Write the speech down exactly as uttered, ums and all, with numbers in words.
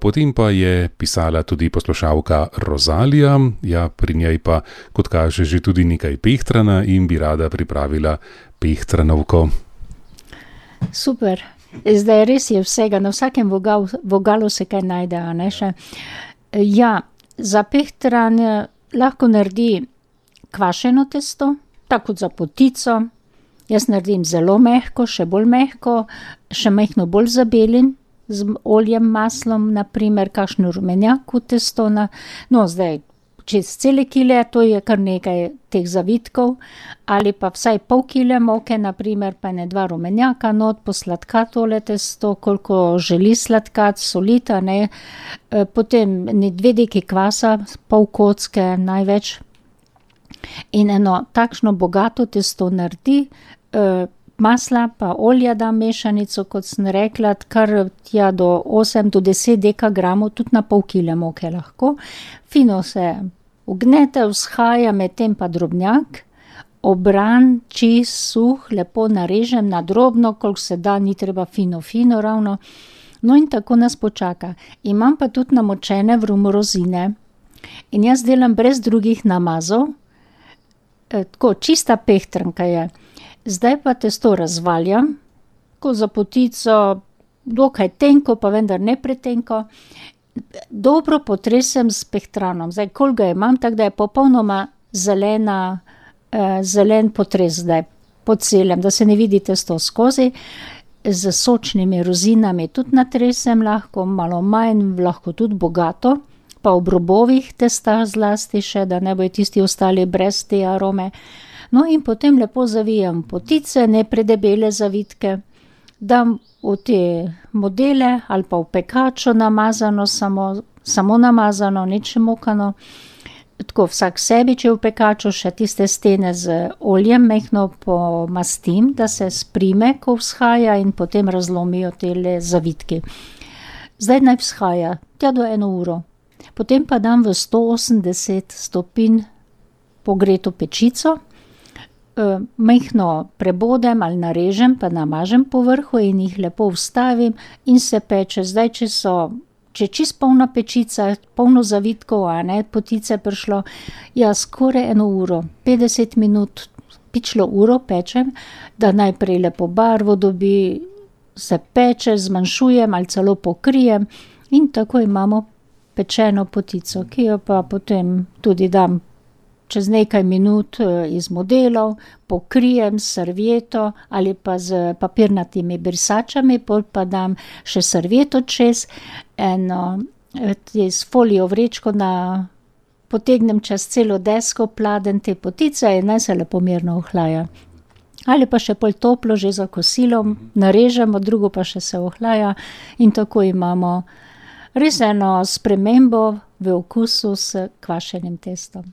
Potem pa je pisala tudi poslušalka Rozalija, ja, pri njej pa, kot kaže, že tudi nekaj pehtrana in bi rada pripravila pehtranovko. Super. Zdaj res je vsega, na vsakem vogal, vogalu se kaj najde, a ne še. Ja, za pehtran lahko naredi kvašeno testo, tako kot za potico. Jaz naredim zelo mehko, še bolj mehko, še mehko bolj zabelim, z oljem, maslom, na primer, kakšno rumenjak v testo. Na, no, zdaj, čez cele kile, to je kar nekaj teh zavitkov, ali pa vsaj pol kile moke, na primer, pa ne dva rumenjaka not, posladka tole testo, koliko želi sladkat, solita, ne. Potem ne dve deki kvasa, pol kocke, največ. In eno takšno bogato testo naredi, masla pa olja da mešanico, kot sem rekla, kar tja do osem do deset dekagramov, tudi na pol kile moke lahko. Fino se ugnete, vzhaja, medtem pa drobnjak, obran, čist, suh, lepo narežem na drobno, koliko se da, ni treba fino, fino ravno. No in tako nas počaka. Imam pa tudi namočene v rumu rozine. In jaz delam brez drugih namazov, tako čista pehtranka je. Zdaj pa testo razvaljam, ko za potico, dokaj tenko, pa vendar ne pretenko. Dobro potresem s pehtranom. Zdaj, koliko ga imam, tako da je popolnoma zelena, eh, zelen potres zdaj po celem, da se ne vidi testo skozi. Z sočnimi rozinami tudi natresem lahko, malo manj, lahko tudi bogato, pa ob robovih testa zlasti še, da ne bojo tisti ostali brez te arome. No in potem lepo zavijem potice, ne predebele zavitke, dam v te modele ali pa v pekačo namazano, samo, samo namazano, nič mokano. Tako vsak sebi, če v pekaču še tiste stene z oljem mehno pomastim, da se sprime, ko vzhaja in potem razlomijo tele zavitki. Zdaj naj vzhaja, tja do eno uro. Potem pa dam v sto osemdeset stopinj pogreto pečico, mehno prebodem ali narežem, pa namažem po vrhu in jih lepo vstavim in se peče. Zdaj, če so, če je čist polna pečica, polno zavitkov, a ne, potice prišlo, ja, skoraj eno uro, petdeset minut, pičlo uro pečem, da najprej lepo barvo dobi, se peče, zmanjšujem ali celo pokrijem in tako imamo pečeno potico, ki jo pa potem tudi dam čez nekaj minut iz modelov, pokrijem s servieto ali pa z papirnatimi brisačami, pol pa dam še servieto čez, eno s folijo vrečko na, potegnem čez celo desko, pladen te potice in naj se lepo mirno ohlaja. Ali pa še pol toplo, že za kosilom, narežemo, drugo pa še se ohlaja in tako imamo res eno spremembo v okusu s kvašenim testom.